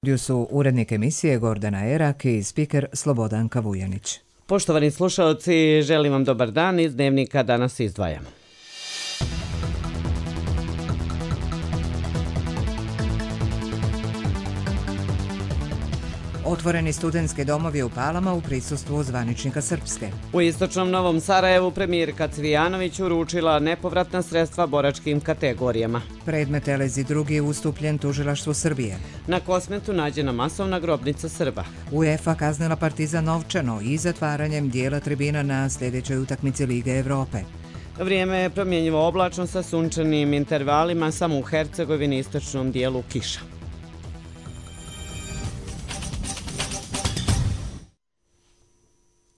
Gdje su urednik emisije Gordana Erak i spiker Slobodanka Vujanić. Poštovani slušalci, želim vam dobar dan. Iz Dnevnika danas izdvajamo. Otvoreni studentski domovi u Palama u prisustvu zvaničnika Srpske. U istočnom Novom Sarajevu premijerka Cvijanović uručila nepovratna sredstva boračkim kategorijama. Predmet Elezi II ustupljen tužilaštvu Srbije. Na Kosmetu nađena masovna grobnica Srba. UEFA kaznila Partizan novčano i zatvaranjem dijela tribina na sljedećoj utakmici Lige Evrope. Vrijeme je promjenjivo oblačno sa sunčanim intervalima, samo u Hercegovini i istočnom dijelu kiša.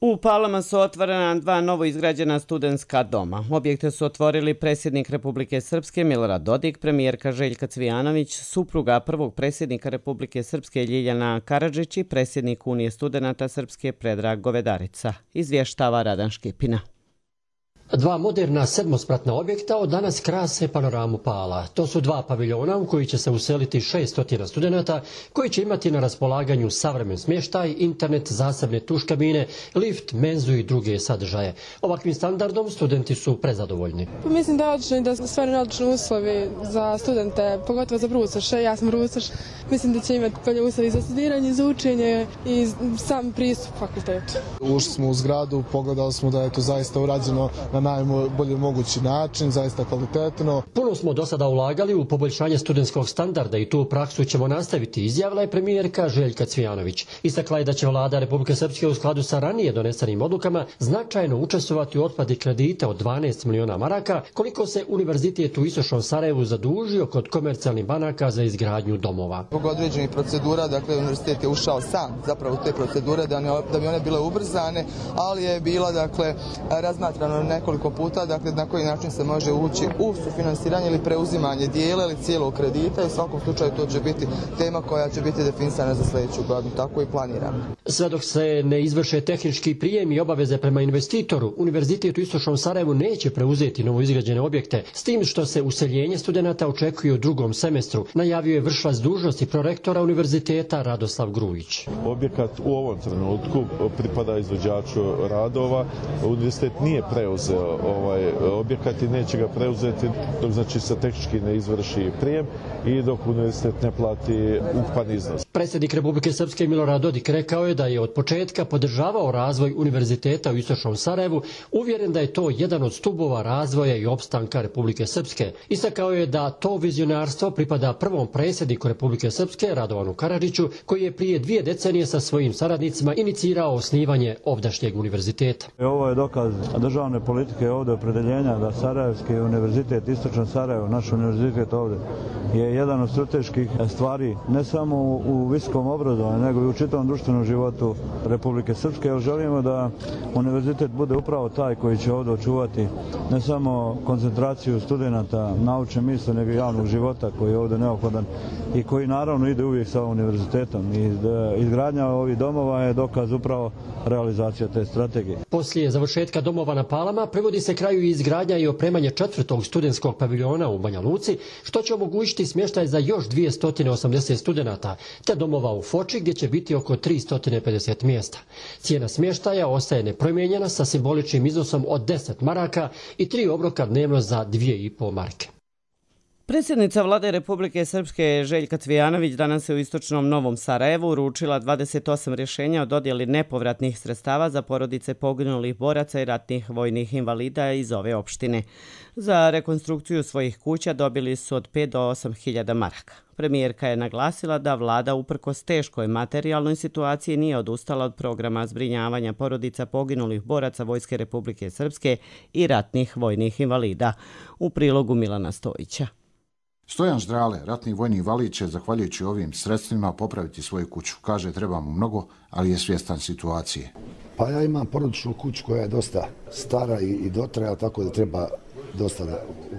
U Palama su otvorena dva novo izgrađena studentska doma. Objekte su otvorili predsjednik Republike Srpske Milorad Dodik, premijerka Željka Cvijanović, supruga prvog predsjednika Republike Srpske Ljiljana Karadžić i predsjednik Unije studenata Srpske Predrag Govedarica, izvještava Radan Škipina. Dva moderna sedmospratna objekta od danas krase panoramu Pala. To su dva paviljona u koji će se useliti 600 studenata koji će imati na raspolaganju savremen smještaj, internet, zasebne tuš kabine, lift, menzu i druge sadržaje. Ovakvim standardom studenti su prezadovoljni. Mislim da je odlično i da su stvarno odlični uslovi za studente, pogotovo za brucoše. Ja sam brucoš. Mislim da će imati bolje uslovi za studiranje, za učenje i sam pristup fakultetu. Ušli smo u zgradu, pogledali smo da je to zaista urađeno na najbolji mogući način, zaista kvalitetno. Puno smo do sada ulagali u poboljšanje studentskog standarda i tu praksu ćemo nastaviti, izjavila je premijerka Željka Cvijanović. Istakla je da će vlada Republike Srpske u skladu sa ranije donesenim odlukama značajno učestvovati u otplati kredita od 12 miliona maraka, koliko se univerzitet u istočnom Sarajevu zadužio kod komercijalnih banaka za izgradnju domova. Zbog određenih procedura, dakle univerzitet je ušao sam zapravo u te procedure da bi one bile ubrzane, ali je bila razmatrano nekoliko puta, dakle na koji način se može ući u sufinansiranje ili preuzimanje dijela ili cijelog kredita i u svakom slučaju to će biti tema koja će biti definisana za sljedeću godinu, tako i planiramo. Sve dok se ne izvrše tehnički prijem i obaveze prema investitoru, univerzitet u istočnom Sarajevu neće preuzeti novoizgrađene objekte, s tim što se useljenje studenata očekuje u drugom semestru, najavio je vršilac dužnosti prorektora univerziteta Radoslav Grujić. Objekat u ovom trenutku pripada izvođaču radova, univerzitet nije preuzeo objekat i neće ga preuzeti dok se tehnički ne izvrši prijem i dok univerzitet ne plati ukupan iznos. Predsjednik Republike Srpske Milorad Dodik rekao je da je od početka podržavao razvoj univerziteta u istočnom Sarajevu, uvjeren da je to jedan od stubova razvoja i opstanka Republike Srpske. Istakao je da to vizionarstvo pripada prvom predsjedniku Republike Srpske Radovanu Karadžiću, koji je prije 2 decenije sa svojim saradnicima inicirao osnivanje ovdašnjeg univerziteta. Ovo je dokaz državne politike ovdje opredeljenja da Sarajevski univerzitet, istočan Sarajevo, naš univerzitet ovdje, je jedan od strateških stvari ne samo u visokom obrazovanju, nego i u čitavom društvenom životu Republike Srpske, jer želimo da univerzitet bude upravo taj koji će ovdje očuvati ne samo koncentraciju studenata, naučne misli, nego i javnog života koji je ovdje neophodan i koji naravno ide uvijek sa univerzitetom. I izgradnja ovih domova je dokaz upravo realizacija te strategije. Poslije završetka domova na Palama privodi se kraju izgradnja i opremanje 4. studentskog paviljona u Banja Luci, što će omogućiti smještaj za još 280 studenata, te domova u Foči gdje će biti oko 350 mjesta. Cijena smještaja ostaje nepromijenjena sa simboličnim iznosom od 10 maraka i 3 obroka dnevno za 2,5 marke. Predsjednica vlade Republike Srpske Željka Cvijanović danas je u istočnom Novom Sarajevu uručila 28 rješenja o dodjeli nepovratnih sredstava za porodice poginulih boraca i ratnih vojnih invalida iz ove opštine. Za rekonstrukciju svojih kuća dobili su od 5 do 8 hiljada maraka. Premijerka je naglasila da vlada uprkos teškoj materijalnoj situaciji nije odustala od programa zbrinjavanja porodica poginulih boraca Vojske Republike Srpske i ratnih vojnih invalida. U prilogu Milana Stojića. Stojan Ždrale, ratni vojni invalid, će zahvaljujući ovim sredstvima popraviti svoju kuću. Kaže, treba mu mnogo, ali je svjestan situacije. Pa ja imam porodičnu kuću koja je dosta stara i dotrajala, tako da treba dosta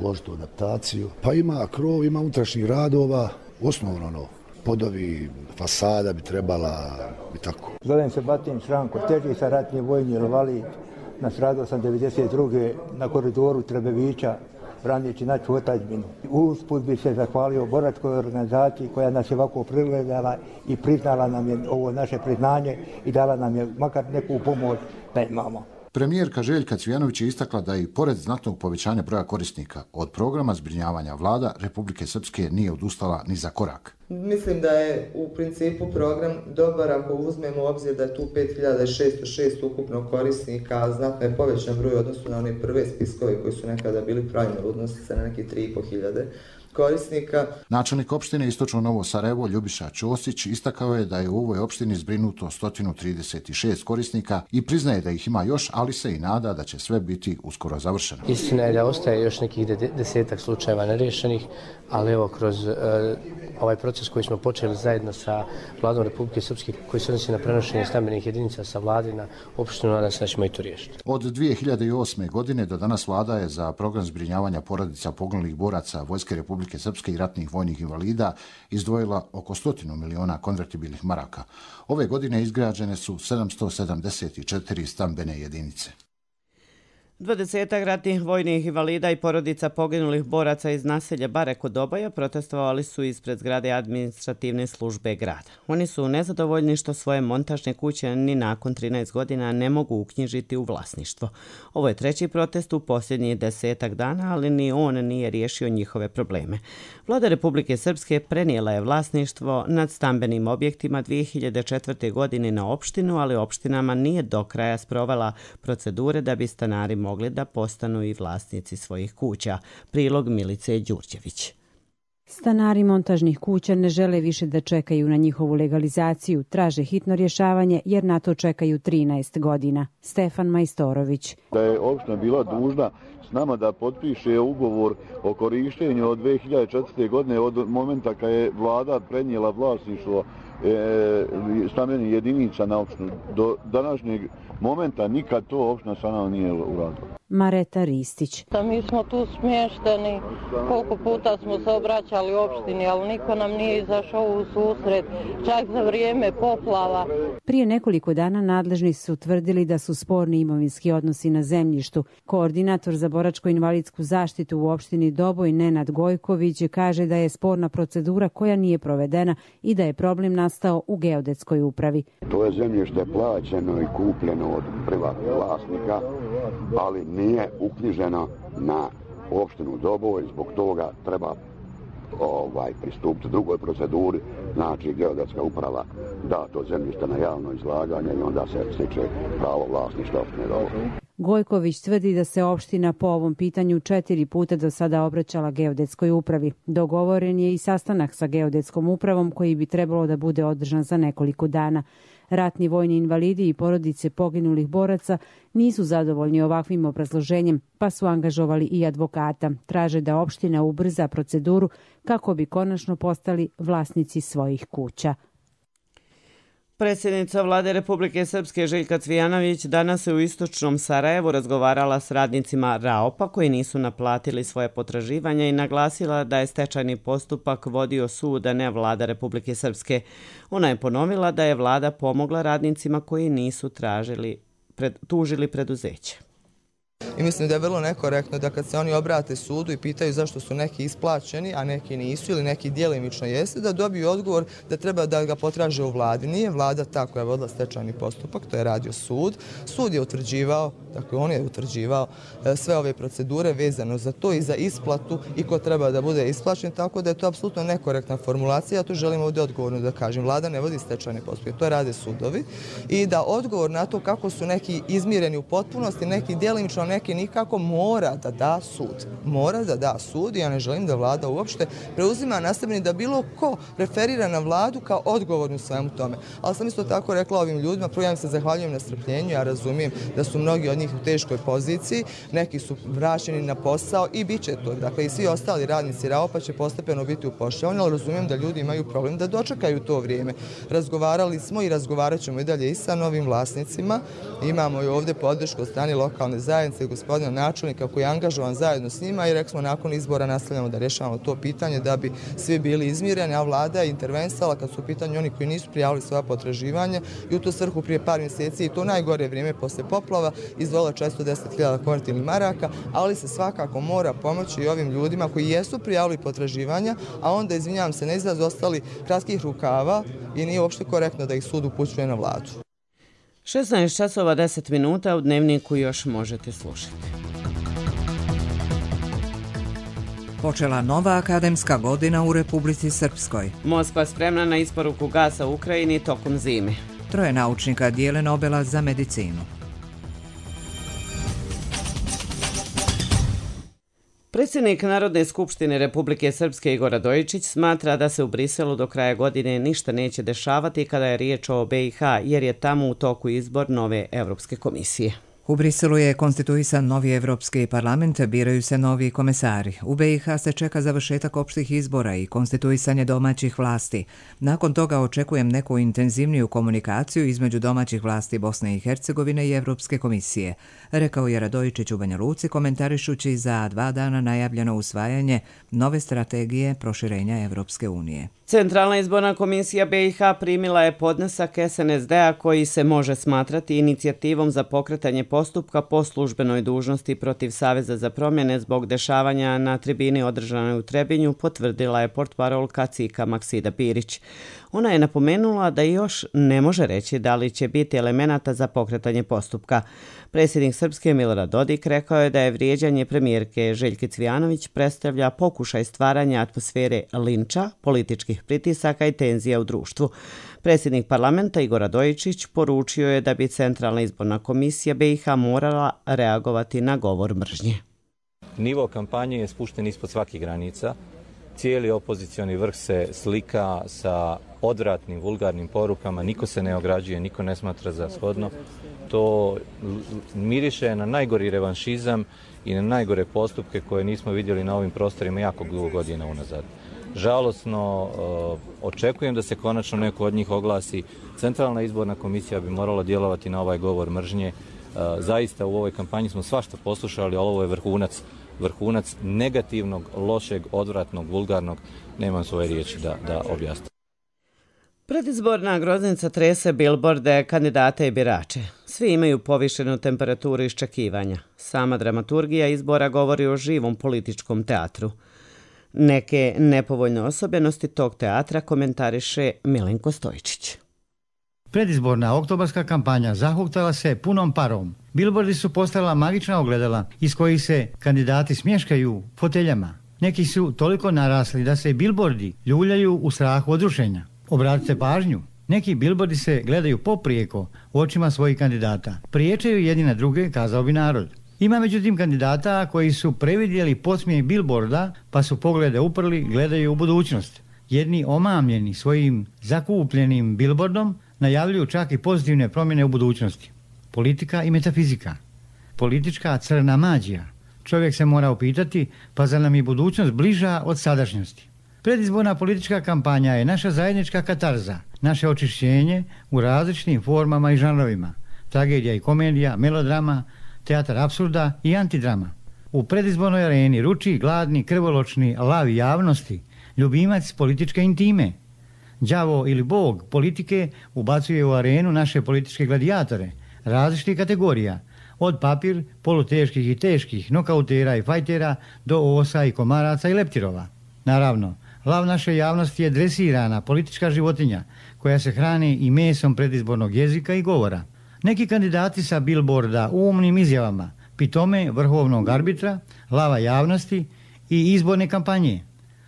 uložiti u adaptaciju. Pa ima krov, ima unutrašnjih radova, osnovno podovi, fasada bi trebala i tako. Zovem se Batin Šranko, teži sam ratni vojni invalid. Nastradao sam 92. na koridoru Trebevića branići našu otadžbinu. Usput bi se zahvalio boračkoj organizaciji koja nas je ovako pregledala i priznala nam je ovo naše priznanje i dala nam je makar neku pomoć da imamo. Premijerka Željka Cvijanović je istakla da i pored znatnog povećanja broja korisnika od programa zbrinjavanja vlada Republike Srpske nije odustala ni za korak. Mislim da je u principu program dobar ako uzmemo u obzir da je tu 5606 ukupno korisnika, znatno je povećan broj u odnosu na one prve spiskove koji su nekada bili pravljeni, odnosi se na neki 3500 korisnika. Načelnik opštine Istočno Novo Sarajevo Ljubiša Ćosić istakao je da je u ovoj opštini zbrinuto 136 korisnika i priznaje da ih ima još, ali se i nada da će sve biti uskoro završeno. Istina je da ostaje još nekih 10 slučajeva nerješenih, ali evo kroz ovaj proces koji smo počeli zajedno sa Vladom Republike Srpske koji se odnosi na prenošenje stambenih jedinica sa vlade na opštinu, nadam se da ćemo i to riješiti. Od 2008. godine do danas vlada je za program zbrinjavanja porodica poginulih boraca Vojske Republike Srpske i ratnih vojnih invalida izdvojila oko 100 miliona konvertibilnih maraka. Ove godine izgrađene su 774 stambene jedinice. 20 ratnih vojnih invalida i porodica poginulih boraca iz naselja Bare kod Obaja protestovali su ispred zgrade administrativne službe grada. Oni su nezadovoljni što svoje montažne kuće ni nakon 13 godina ne mogu uknjižiti u vlasništvo. Ovo je treći protest u posljednjih 10 dana, ali ni on nije riješio njihove probleme. Vlada Republike Srpske prenijela je vlasništvo nad stambenim objektima 2004. godine na opštinu, ali opštinama nije do kraja sprovela procedure da bi stanari mogli da postanu i vlasnici svojih kuća. Prilog Milice Đurđević. Stanari montažnih kuća ne žele više da čekaju na njihovu legalizaciju, traže hitno rješavanje jer na to čekaju 13 godina. Stefan Majstorović. Da je opština bila dužna s nama da potpiše ugovor o korištenju od 2004. godine od momenta kad je vlada prenijela vlasništvo stambenih jedinica na opštinu. Do današnjeg momenta nikad to opština sa nama nije uradila. Mareta Ristić. Mi smo tu smješteni, koliko puta smo se obraćali opštini, ali niko nam nije izašao u susret, čak za vrijeme poplava. Prije nekoliko dana nadležni su tvrdili da su sporni imovinski odnosi na zemljištu. Koordinator za boračko-invalidsku zaštitu u opštini Doboj Nenad Gojković kaže da je sporna procedura koja nije provedena i da je problem nastao u geodetskoj upravi. To je zemljište plaćeno i kupljeno od privatnih vlasnika, ali nije uknjiženo na opštinu Doboj, zbog toga treba pristupiti drugoj proceduri, znači geodetska uprava da to zemljište na javno izlaganje i onda se stiče pravo vlasništva opštine Doboj. Gojković tvrdi da se opština po ovom pitanju 4 puta do sada obraćala geodetskoj upravi. Dogovoren je i sastanak sa geodetskom upravom koji bi trebalo da bude održan za nekoliko dana. Ratni vojni invalidi i porodice poginulih boraca nisu zadovoljni ovakvim obrazloženjem, pa su angažovali i advokata. Traže da opština ubrza proceduru kako bi konačno postali vlasnici svojih kuća. Predsjednica Vlade Republike Srpske Željka Cvijanović danas je u istočnom Sarajevu razgovarala s radnicima RAOP-a koji nisu naplatili svoje potraživanja i naglasila da je stečajni postupak vodio sud, a ne Vlada Republike Srpske. Ona je ponovila da je Vlada pomogla radnicima koji nisu tužili preduzeće. I mislim da je vrlo nekorektno da kad se oni obrate sudu i pitaju zašto su neki isplaćeni, a neki nisu ili neki djelimično jeste, da dobiju odgovor da treba da ga potraže u vladi. Nije vlada ta koja je vodila stečajni postupak, to je radio sud. Sud je utvrđivao, dakle on je utvrđivao sve ove procedure vezano za to i za isplatu i ko treba da bude isplaćen, tako da je to apsolutno nekorektna formulacija. Ja tu želim ovdje odgovorno da kažem. Vlada ne vodi stečajni postupak, to rade sudovi i da odgovor na to kako su neki izmireni u potpunosti, neki djelimično, neki nikako, mora da da sud. Mora da da sud i ja ne želim da vlada uopšte preuzima na sebe da bilo ko referira na vladu kao odgovornu svemu tome. Ali sam isto tako rekla ovim ljudima, prvo ja im se zahvaljujem na strpljenju, ja razumijem da su mnogi od njih u teškoj poziciji, neki su vraćeni na posao i bit će to. Dakle, i svi ostali radnici RAOP-a će postepeno biti upošljavani, ali razumijem da ljudi imaju problem da dočekaju to vrijeme. Razgovarali smo i razgovarat ćemo i dalje i sa novim vlasnicima. Imamo i ovdje podršku od strane lokalne zajednice zaposlili gospodina načelnika koji je angažovan zajedno s njima i rekli smo nakon izbora nastavljamo da rješavamo to pitanje da bi svi bili izmireni, a vlada je intervensala kad su u pitanju oni koji nisu prijavili svoja potraživanja i u tu svrhu prije par mjeseci i to najgore vrijeme posle poplava izdvojila 410.000 konvertibilnih maraka, ali se svakako mora pomoći i ovim ljudima koji jesu prijavili potraživanja, a onda, izvinjavam se, ne izraz ostali kratkih rukava i nije uopšte korektno da ih sud upućuje na vladu. 16 časova 10 minuta u Dnevniku još možete slušati. Počela nova akademska godina u Republici Srpskoj. Moskva spremna na isporuku gasa u Ukrajini tokom zime. 3 naučnika dijele Nobela za medicinu. Predsjednik Narodne skupštine Republike Srpske Igor Radojičić smatra da se u Briselu do kraja godine ništa neće dešavati kada je riječ o BiH, jer je tamo u toku izbor nove Evropske komisije. U Briselu je konstituisan novi Evropski parlament, biraju se novi komesari. U BiH se čeka završetak opštih izbora i konstituisanje domaćih vlasti. Nakon toga očekujem neku intenzivniju komunikaciju između domaćih vlasti Bosne i Hercegovine i Evropske komisije, rekao je Radojičić u Banja Luci komentarišući za 2 dana najavljeno usvajanje nove strategije proširenja Evropske unije. Centralna izborna komisija BiH primila je podnesak SNSD-a koji se može smatrati inicijativom za pokretanje postupka po službenoj dužnosti protiv Saveza za promjene zbog dešavanja na tribini održanoj u Trebinju, potvrdila je portparolka CIK-a Maksida Pirić. Ona je napomenula da još ne može reći da li će biti elemenata za pokretanje postupka. Predsjednik Srpske Milorad Dodik rekao je da je vrijeđanje premijerke Željke Cvijanović predstavlja pokušaj stvaranja atmosfere linča, političkih pritisaka i tenzija u društvu. Predsjednik parlamenta Igor Radojičić poručio je da bi Centralna izborna komisija BiH morala reagovati na govor mržnje. Nivo kampanje je spušten ispod svakih granica. Cijeli opozicioni vrh se slika sa odvratnim, vulgarnim porukama, niko se ne ograđuje, niko ne smatra za shodno. To miriše na najgori revanšizam i na najgore postupke koje nismo vidjeli na ovim prostorima jako dugo godina unazad. Žalosno, očekujem da se konačno neko od njih oglasi. Centralna izborna komisija bi morala djelovati na ovaj govor mržnje. Zaista u ovoj kampanji smo svašta poslušali, ali ovo je vrhunac negativnog, lošeg, odvratnog, vulgarnog. Nemam svoje riječi da objasnim. Predizborna groznica trese bilborde, kandidate i birače. Svi imaju povišenu temperaturu iščekivanja. Sama dramaturgija izbora govori o živom političkom teatru. Neke nepovoljne osobenosti tog teatra komentariše Milenko Stojčić. Predizborna oktobarska kampanja zahuktala se punom parom. Bilbordi su postala magična ogledala iz kojih se kandidati smješkaju foteljama. Neki su toliko narasli da se bilbordi ljuljaju u strahu od rušenja. Obratite pažnju, neki bilbordi se gledaju poprijeko u očima svojih kandidata. Priječaju jedni na druge, kazao bi narod. Ima međutim kandidata koji su previdjeli podsmijeh bilborda pa su poglede uprli, gledaju u budućnost. Jedni omamljeni svojim zakupljenim bilbordom najavljuju čak i pozitivne promjene u budućnosti. Politika i metafizika. Politička crna mađija. Čovjek se mora upitati, pa zar nam je budućnost bliža od sadašnjosti? Predizborna politička kampanja je naša zajednička katarza, naše očišćenje u različitim formama i žanrovima. Tragedija i komedija, melodrama, teatar apsurda i antidrama. U predizbornoj areni ruči gladni, krvoločni lav javnosti, ljubimac političke intime. Đavo ili bog politike ubacuje u arenu naše političke gladiatore, različitih kategorija, od papir, poluteških i teških, nokautera i fajtera do osa i komaraca i leptirova. Naravno, lav naše javnosti je dresirana politička životinja koja se hrani i mesom predizbornog jezika i govora. Neki kandidati sa bilborda umnim izjavama, pitome vrhovnog arbitra, lava javnosti i izborne kampanje.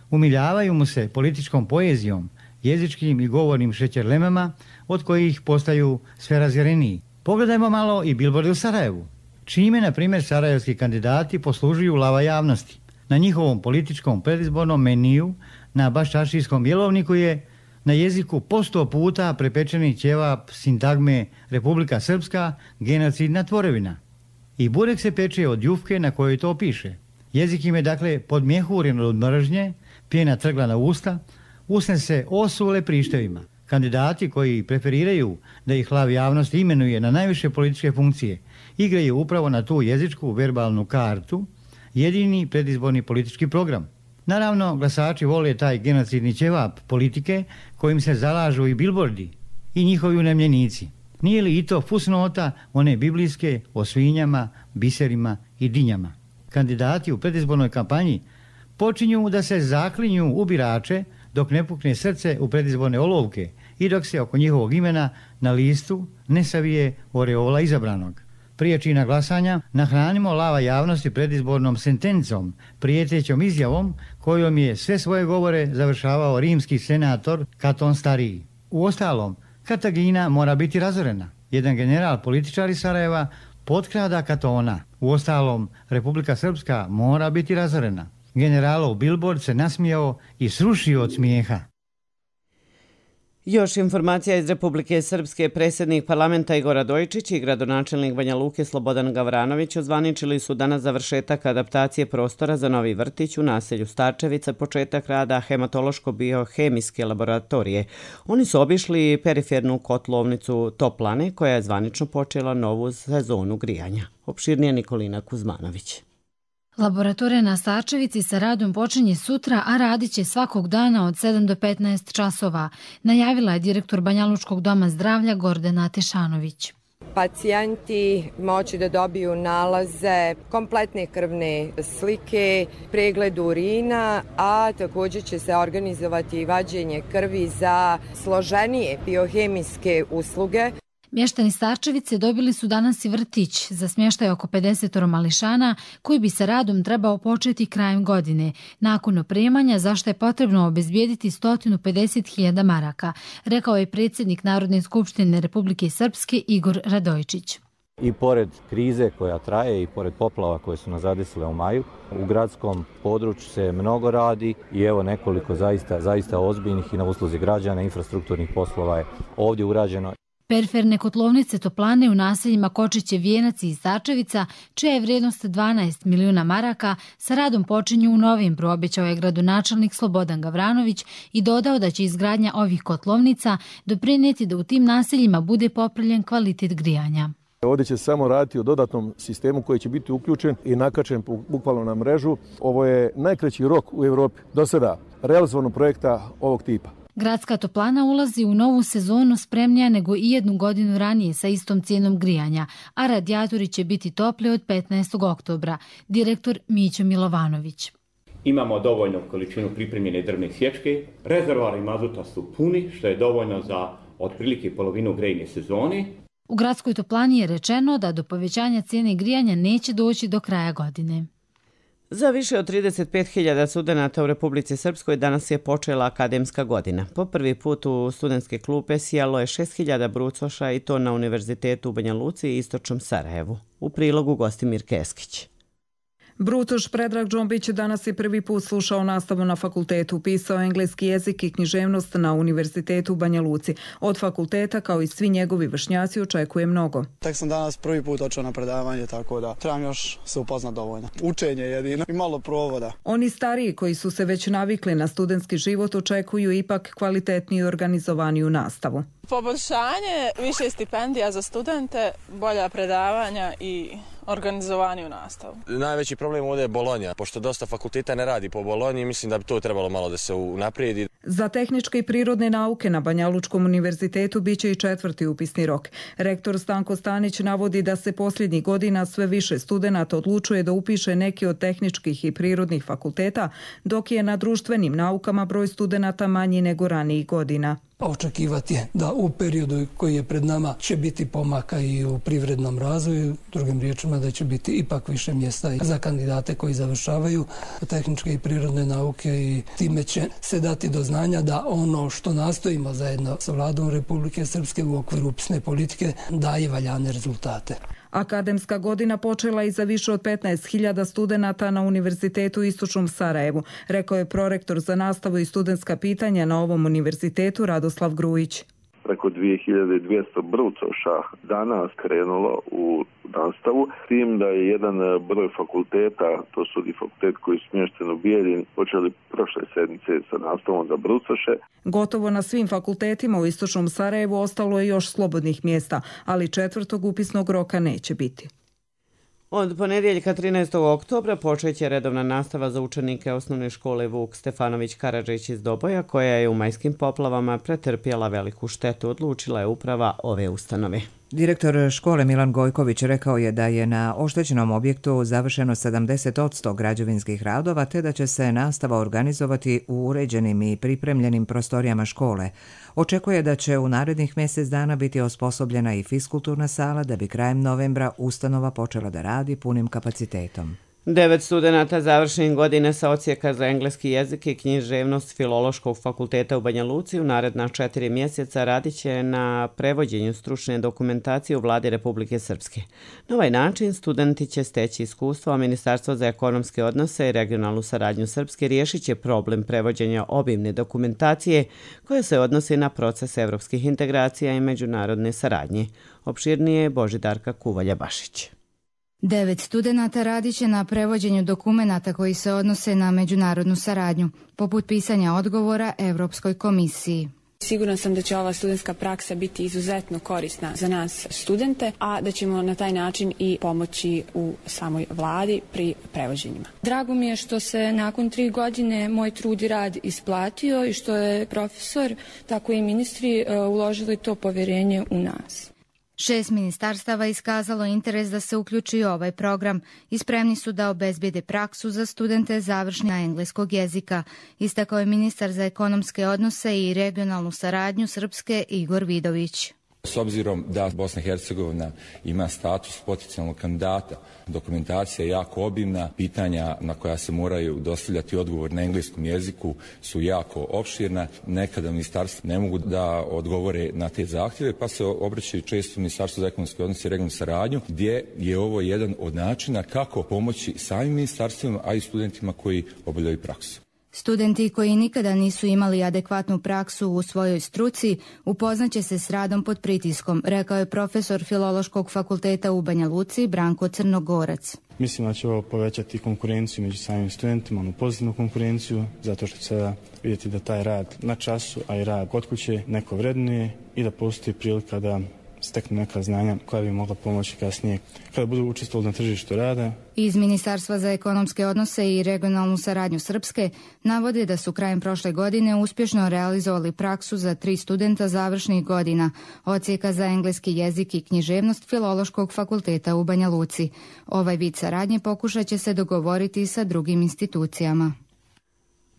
Umiljavaju mu se političkom poezijom, jezičkim i govornim šećerlemama od kojih postaju sve razjereniji. Pogledajmo malo i bilborde u Sarajevu. Čime, na primjer, sarajevski kandidati poslužuju lava javnosti. Na njihovom političkom predizbornom meniju, na baščaršijskom jelovniku je na jeziku po 100 puta prepečeni ćevap sintagme Republika Srpska, genocidna tvorevina. I burek se peče od jufke na kojoj to piše. Jezik im je dakle podmjehuren od mržnje, pjena trgla na usta, usne se osule prištevima. Kandidati koji preferiraju da ih lav javnosti imenuje na najviše političke funkcije igraju upravo na tu jezičku verbalnu kartu, jedini predizborni politički program. Naravno, glasači vole taj genocidni ćevap politike kojim se zalažu i bilbordi i njihovi unemljenici. Nije li i to fusnota one biblijske o svinjama, biserima i dinjama? Kandidati u predizbornoj kampanji počinju da se zaklinju u birače dok ne pukne srce u predizborne olovke i dok se oko njihovog imena na listu ne savije oreola izabranog. Prije čina glasanja nahranimo lava javnosti predizbornom sentencom, prijetećom izjavom kojom je sve svoje govore završavao rimski senator Katon Stariji. Uostalom, Kartagina mora biti razorena. Jedan general političar iz Sarajeva potkrada Katona. Uostalom, Republika Srpska mora biti razorena. Generalov billboard se nasmijao i srušio od smijeha. Još informacija iz Republike Srpske. Predsjednik parlamenta Igor Radojičić i gradonačelnik Banja Luke Slobodan Gavranović ozvaničili su danas završetak adaptacije prostora za novi vrtić u naselju Starčevica, početak rada hematološko-biohemijske laboratorije. Oni su obišli perifernu kotlovnicu Toplane koja je zvanično počela novu sezonu grijanja. Opširnije Nikolina Kuzmanović. Laboratorija na Starčevici sa radom počinje sutra, a radit će svakog dana od 7 do 15 časova, najavila je direktor Banjalučkog doma zdravlja Gordana Tešanović. Pacijenti moći da dobiju nalaze, kompletne krvne slike, pregled urina, a također će se organizovati i vađenje krvi za složenije biohemijske usluge. Mještani Starčevice dobili su danas i vrtić za smještaj oko 50 mališana koji bi sa radom trebao početi krajem godine, nakon opremanja za što je potrebno obezbijediti 150.000 maraka, rekao je predsjednik Narodne skupštine Republike Srpske Igor Radojičić. I pored krize koja traje i pored poplava koje su nas zadesile u maju, u gradskom području se mnogo radi i evo nekoliko zaista ozbiljnih i na usluzi građana infrastrukturnih poslova je ovdje urađeno. Periferne kotlovnice Toplane u naseljima Kočiće, Vijenac i Starčevica, čija je vrijednost 12 milijuna maraka, sa radom počinju u novembru, obećao je gradonačelnik Slobodan Gavranović i dodao da će izgradnja ovih kotlovnica doprinijeti da u tim naseljima bude popravljen kvalitet grijanja. Ovdje će se samo raditi o dodatnom sistemu koji će biti uključen i nakačen bukvalno na mrežu. Ovo je najkraći rok u Evropi do sada realizovanog projekta ovog tipa. Gradska toplana ulazi u novu sezonu spremnija nego i jednu godinu ranije sa istom cijenom grijanja, a radijatori će biti topli od 15. oktobra, direktor Mićo Milovanović. Imamo dovoljnu količinu pripremljene drvne sječke, rezervoari mazuta su puni, što je dovoljno za otprilike polovinu grejne sezone. U gradskoj toplani je rečeno da do povećanja cijene grijanja neće doći do kraja godine. Za više od 35.000 studenata u Republici Srpskoj danas je počela akademska godina. Po prvi put u studentske klupe sjelo je 6.000 brucoša i to na Univerzitetu u Banja Luci i Istočnom Sarajevu. U prilogu Gostimir Keskić. Brucoš Predrag Džombić danas je prvi put slušao nastavu na fakultetu, pisao engleski jezik i književnost na Univerzitetu u Banja Luci. Od fakulteta, kao i svi njegovi vršnjaci, očekuje mnogo. Tek sam danas prvi put očeo na predavanje, tako da trebam još se upoznat dovoljno. Učenje jedino i malo provoda. Oni stariji koji su se već navikli na studentski život očekuju ipak kvalitetniju i organizovaniju nastavu. Poboljšanje, više stipendija za studente, bolja predavanja i organizovaniju nastavu. Najveći problem ovdje je Bolonja, pošto dosta fakulteta ne radi po Bolonji, mislim da bi to trebalo malo da se unaprijedi. Za tehničke i prirodne nauke na Banjalučkom univerzitetu biće i 4. upisni rok. Rektor Stanko Stanić navodi da se posljednjih godina sve više studenata odlučuje da upiše neki od tehničkih i prirodnih fakulteta, dok je na društvenim naukama broj studenata manji nego ranijih godina. Očekivati je da u periodu koji je pred nama će biti pomaka i u privrednom razvoju, drugim riječima da će biti ipak više mjesta za kandidate koji završavaju tehničke i prirodne nauke i time će se dati do znanja da ono što nastojimo zajedno sa vladom Republike Srpske u okviru upisne politike daje valjane rezultate. Akademska godina počela i za više od 15.000 studenata na Univerzitetu u Istočnom Sarajevu, rekao je prorektor za nastavu i studentska pitanja na ovom univerzitetu Radoslav Grujić. preko 2200 brucoša danas krenulo u nastavu, s tim da je jedan broj fakulteta, to su i fakultet koji su smješteni u Bijeljini, počeli prošle sedmice sa nastavom za brucoše. Gotovo na svim fakultetima u istočnom Sarajevu ostalo je još slobodnih mjesta, ali 4. upisnog roka neće biti. Od ponedjeljka 13. oktobra počeće redovna nastava za učenike osnovne škole Vuk Stefanović Karadžić iz Doboja, koja je u majskim poplavama pretrpjela veliku štetu, odlučila je uprava ove ustanove. Direktor škole Milan Gojković rekao je da je na oštećenom objektu završeno 70% građevinskih radova, te da će se nastava organizovati u uređenim i pripremljenim prostorijama škole. Očekuje da će u narednih mjesec dana biti osposobljena i fiskulturna sala, da bi krajem novembra ustanova počela da radi punim kapacitetom. 9 studenata završenih godine sa odsjeka za engleski jezik i književnost Filološkog fakulteta u Banja Luci u naredna 4 mjeseca radit će na prevođenju stručne dokumentacije u Vladi Republike Srpske. Na ovaj način studenti će steći iskustvo, a Ministarstvo za ekonomske odnose i regionalnu saradnju Srpske riješit će problem prevođenja obimne dokumentacije koja se odnosi na proces evropskih integracija i međunarodne saradnje. Opširnije Božidarka Kuvalja-Bašić. 9 studenata radit će na prevođenju dokumenata koji se odnose na međunarodnu saradnju, poput pisanja odgovora Evropskoj komisiji. Sigurna sam da će ova studentska praksa biti izuzetno korisna za nas studente, a da ćemo na taj način i pomoći u samoj vladi pri prevođenjima. Drago mi je što se nakon 3 godine moj trud i rad isplatio i što je profesor, tako i ministri uložili to povjerenje u nas. 6 ministarstava iskazalo interes da se uključi u ovaj program i spremni su da obezbijede praksu za studente završni na engleskog jezika, istakao je ministar za ekonomske odnose i regionalnu saradnju Srpske Igor Vidović. S obzirom da Bosna i Hercegovina ima status potencijalnog kandidata, dokumentacija je jako obimna, pitanja na koja se moraju dostavljati odgovor na engleskom jeziku su jako opširna. Nekada ministarstva ne mogu da odgovore na te zahtjeve, pa se obraćaju često Ministarstvu za ekonomske odnose i regionalnu saradnju, gdje je ovo jedan od načina kako pomoći samim ministarstvima, a i studentima koji obavljaju praksu. Studenti koji nikada nisu imali adekvatnu praksu u svojoj struci upoznaće se s radom pod pritiskom, rekao je profesor Filološkog fakulteta u Banja Luci Branko Crnogorac. Mislim da će ovo povećati konkurenciju među samim studentima, onu pozitivnu konkurenciju, zato što će se vidjeti da taj rad na času, a i rad kod kuće neko vrednuje i da postoji prilika da steknu neka znanja koja bi mogla pomoći kasnije kada budu učestvovali na tržištu rada. Iz Ministarstva za ekonomske odnose i regionalnu saradnju Srpske navode da su krajem prošle godine uspješno realizovali praksu za 3 studenta završnih godina odsjeka za engleski jezik i književnost Filološkog fakulteta u Banja Luci. Ovaj vid saradnje pokušat će se dogovoriti sa drugim institucijama.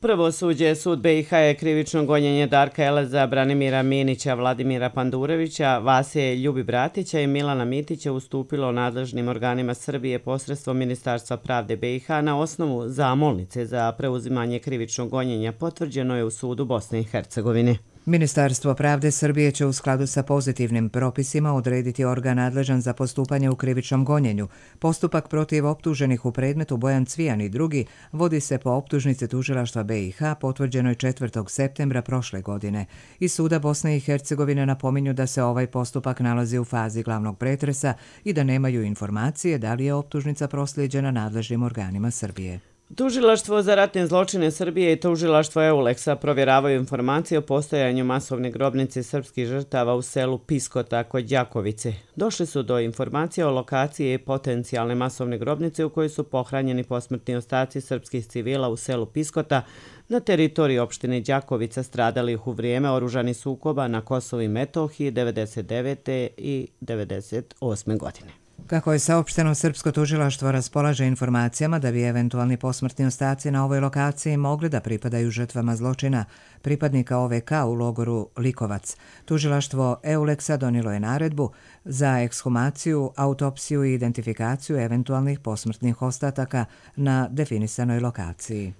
Prvosuđe sud BiH je krivično gonjenje Darka Eleza, Branimira Minića, Vladimira Pandurevića, Vasije Ljubibratića i Milana Mitića ustupilo nadležnim organima Srbije posredstvom Ministarstva pravde BiH na osnovu zamolnice za preuzimanje krivičnog gonjenja, potvrđeno je u sudu Bosne i Hercegovine. Ministarstvo pravde Srbije će u skladu sa pozitivnim propisima odrediti organ nadležan za postupanje u krivičnom gonjenju. Postupak protiv optuženih u predmetu Bojan Cvijan i drugi vodi se po optužnici tužilaštva BiH potvrđenoj 4. septembra prošle godine. Iz suda Bosne i Hercegovine napominju da se ovaj postupak nalazi u fazi glavnog pretresa i da nemaju informacije da li je optužnica proslijeđena nadležnim organima Srbije. Tužilaštvo za ratne zločine Srbije i tužilaštvo EULEX-a provjeravaju informacije o postojanju masovne grobnice srpskih žrtava u selu Piskota kod Đakovice. Došli su do informacije o lokaciji potencijalne masovne grobnice u kojoj su pohranjeni posmrtni ostaci srpskih civila u selu Piskota na teritoriji opštine Đakovica stradalih u vrijeme oružanih sukoba na Kosovu i Metohiji 1999. i 1998. godine. Kako je saopšteno, srpsko tužilaštvo raspolaže informacijama da bi eventualni posmrtni ostaci na ovoj lokaciji mogli da pripadaju žrtvama zločina pripadnika OVK u logoru Likovac. Tužilaštvo EULEX-a donijelo je naredbu za ekshumaciju, autopsiju i identifikaciju eventualnih posmrtnih ostataka na definisanoj lokaciji.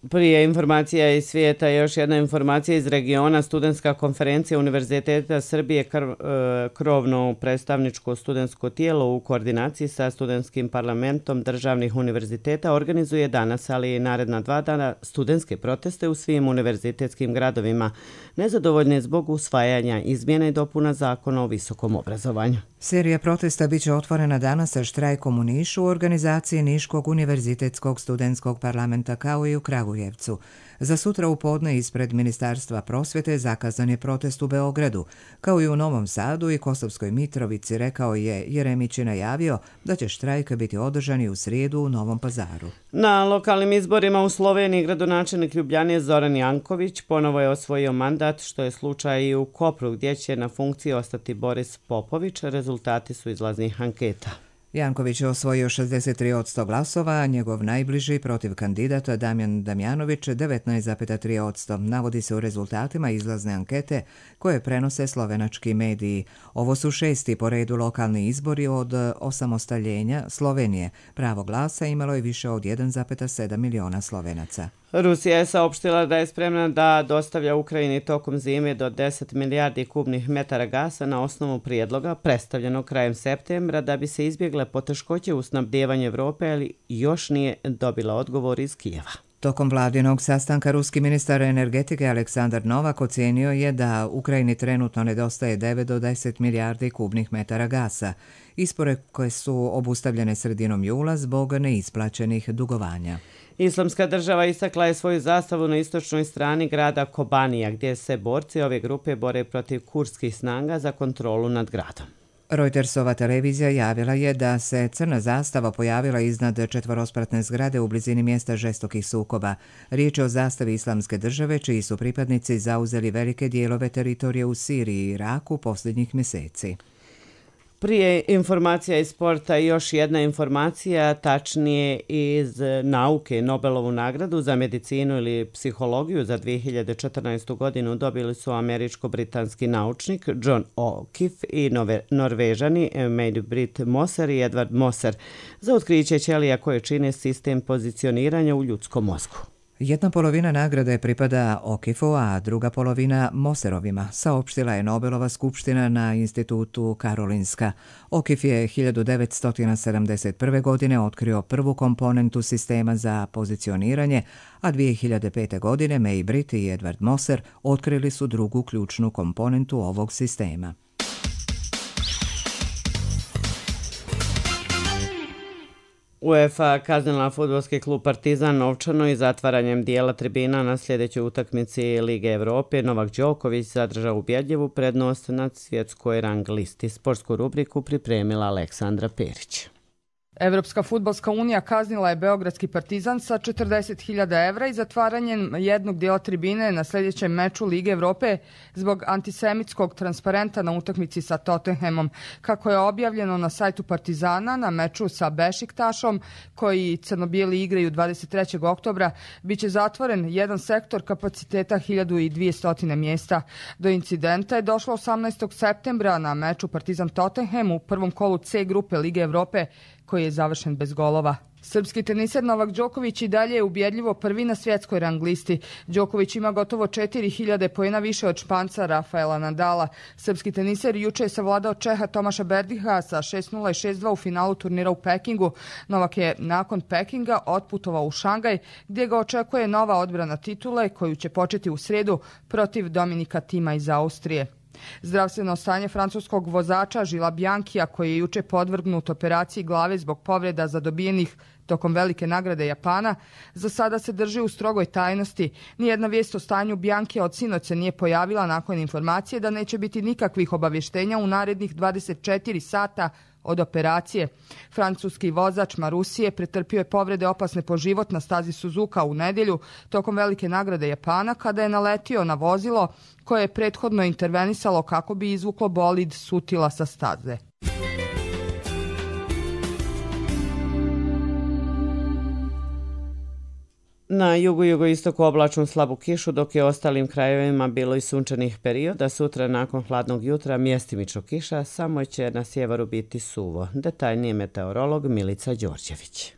Prije informacija iz svijeta, još jedna informacija iz regiona. Studentska konferencija Univerziteta Srbije, krovno predstavničko studentsko tijelo u koordinaciji sa studentskim parlamentom državnih univerziteta, organizuje danas, ali i naredna 2 dana, studentske proteste u svim univerzitetskim gradovima, nezadovoljne zbog usvajanja izmjena i dopuna zakona o visokom obrazovanju. Serija protesta biće otvorena danas sa štrajkom u Nišu u organizaciji Niškog univerzitetskog studentskog parlamenta kao i u Kragujevcu. Za sutra u podne ispred Ministarstva prosvjete zakazan je protest u Beogradu. Kao i u Novom Sadu i Kosovskoj Mitrovici, rekao je Jeremić i najavio da će štrajk biti održan i u srijedu u Novom Pazaru. Na lokalnim izborima u Sloveniji gradonačelnik Ljubljane Zoran Janković ponovo je osvojio mandat, što je slučaj i u Kopru, gdje će na funkciji ostati Boris Popović. Rezultati su izlaznih anketa. Janković je osvojio 63% glasova, a njegov najbliži protiv kandidata Damjan Damjanović 19,3%. Navodi se u rezultatima izlazne ankete koje prenose slovenački mediji. Ovo su 6. po redu lokalni izbori od osamostaljenja Slovenije. Pravo glasa imalo je više od 1,7 miliona Slovenaca. Rusija je saopštila da je spremna da dostavlja Ukrajini tokom zime do 10 milijardi kubnih metara gasa na osnovu prijedloga predstavljenog krajem septembra da bi se izbjegle poteškoće u snabdevanju Evrope, ali još nije dobila odgovor iz Kijeva. Tokom vladinog sastanka ruski ministar energetike Aleksandar Novak ocijenio je da Ukrajini trenutno nedostaje 9 do 10 milijardi kubnih metara gasa. Isporuke su obustavljene sredinom jula zbog neisplaćenih dugovanja. Islamska država istakla je svoju zastavu na istočnoj strani grada Kobanija, gdje se borci ove grupe bore protiv kurdskih snaga za kontrolu nad gradom. Reutersova televizija javila je da se crna zastava pojavila iznad četvorospratne zgrade u blizini mjesta žestokih sukoba. Riječ je o zastavi Islamske države, čiji su pripadnici zauzeli velike dijelove teritorije u Siriji i Iraku posljednjih mjeseci. Prije informacija iz sporta još jedna informacija, tačnije iz nauke. Nobelovu nagradu za medicinu ili psihologiju za 2014. godinu dobili su američko-britanski naučnik John O'Keefe i Norvežani May-Britt Moser i Edward Moser za otkriće ćelija koje čine sistem pozicioniranja u ljudskom mozgu. Jedna polovina nagrade pripada O'Keefeu, a druga polovina Moserovima, saopštila je Nobelova skupština na institutu Karolinska. O'Keefe je 1971. godine otkrio prvu komponentu sistema za pozicioniranje, a 2005. godine May-Britt i Edward Moser otkrili su drugu ključnu komponentu ovog sistema. UEFA kaznila fudbalski klub Partizan novčano i zatvaranjem dijela tribina na sljedećoj utakmici Lige Evrope. Novak Đoković zadržao ubjedljivu prednost nad svjetskoj rang listi. Sportsku rubriku pripremila Aleksandra Perić. Evropska fudbalska unija kaznila je beogradski Partizan sa 40.000 evra i zatvaranjem jednog dijela tribine na sljedećem meču Lige Evrope zbog antisemitskog transparenta na utakmici sa Tottenhamom. Kako je objavljeno na sajtu Partizana, na meču sa Bešiktašom, koji crnobijeli igraju 23. oktobra, bit će zatvoren jedan sektor kapaciteta 1200 mjesta. Do incidenta je došlo 18. septembra na meču Partizan Tottenham u prvom kolu C grupe Lige Evrope, koji je završen bez golova. Srpski teniser Novak Đoković i dalje je ubjedljivo prvi na svjetskoj rang listi. Đoković ima gotovo 4.000 poena više od Španca Rafaela Nadala. Srpski teniser juče je savladao Čeha Tomaša Berdiha sa 6:0 i 6:2 u finalu turnira u Pekingu. Novak je nakon Pekinga otputovao u Šangaj, gdje ga očekuje nova odbrana titule koju će početi u srijedu protiv Dominika Tima iz Austrije. Zdravstveno stanje francuskog vozača Žila Bjankija, koji je juče podvrgnut operaciji glave zbog povreda zadobijenih tokom velike nagrade Japana, za sada se drži u strogoj tajnosti. Nijedna vijest o stanju Bjankija od sinoć se nije pojavila nakon informacije da neće biti nikakvih obavještenja u narednih 24 sata od operacije. Francuski vozač Marusije pretrpio je povrede opasne po život na stazi Suzuka u nedjelju tokom velike nagrade Japana kada je naletio na vozilo koje je prethodno intervenisalo kako bi izvuklo bolid Sutila sa staze. Na jugu i jugoistoku oblačnu slabu kišu, dok je ostalim krajevima bilo i sunčanih perioda. Sutra nakon hladnog jutra mjestimično kiša, samo će na sjeveru biti suvo. Detaljnije meteorolog Milica Đorđević.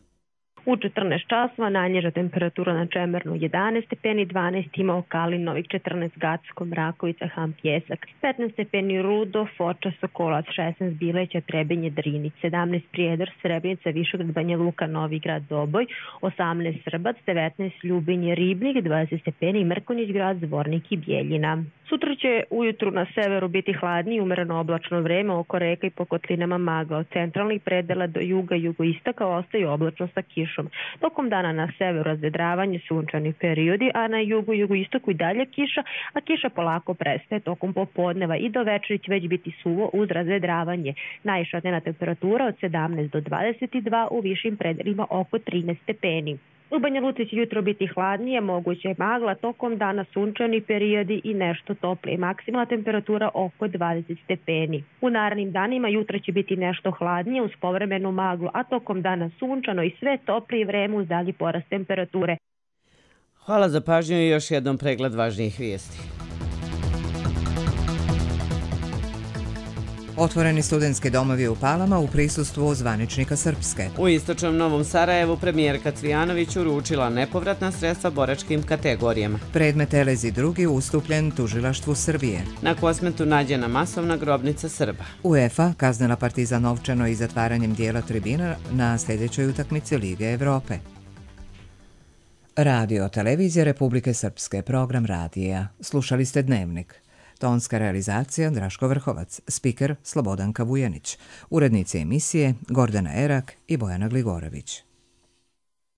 U 14 časova najniža temperatura na Čemernu 11 stepeni, 12 ima Okalin, Novik 14, Gacko, Mrakovica, Ham, Pjesak, 15 stepeni Rudo, Foča, Sokolac, 16 Bileća, Trebinje, Drinić, 17 Prijedor, Srebrenica, Višegrad, Banja Luka, Novi Grad, Doboj, 18 Srbac, 19 Ljubinje, Ribnik, 20 stepeni Mrkonjić Grad, Zvornik i Bijeljina. Sutra će ujutru na severu biti hladnije, umereno oblačno vreme, oko reka i po kotlinama magla. Od centralnih predela do juga i jugoistaka ostaju oblačno sa kišom. Tokom dana na severu razvedravanje, sunčani periodi, a na jugu i jugoistoku i dalje kiša, a kiša polako prestaje tokom popodneva i do večeri će već biti suvo uz razvedravanje. Najviša dnevna temperatura od 17 do 22, u višim predelima oko 13 stepeni. U Banja Luci će jutro biti hladnije, moguće je magla, tokom dana sunčani periodi i nešto toplije. Maksimalna temperatura oko 20 stepeni. U narednim danima jutra će biti nešto hladnije uz povremenu maglu, a tokom dana sunčano i sve toplije vreme uz dalji porast temperature. Hvala za pažnju i još jednom pregled važnijih vijesti. Otvoreni studentski domovi u Palama u prisustvu zvaničnika Srpske. U istočnom Novom Sarajevu premijerka Cvijanović uručila nepovratna sredstva boračkim kategorijama. Predmet Elezi II ustupljen tužilaštvu Srbije. Na Kosmetu nađena masovna grobnica Srba. UEFA kaznila Partizan novčano i zatvaranjem dijela tribina na sljedećoj utakmici Lige Evrope. Radio televizija Republike Srpske, program radija. Slušali ste Dnevnik. Tonska realizacija Draško Vrhovac, spiker Slobodanka Vujanić, urednice emisije Gordana Erak i Bojana Gligorović.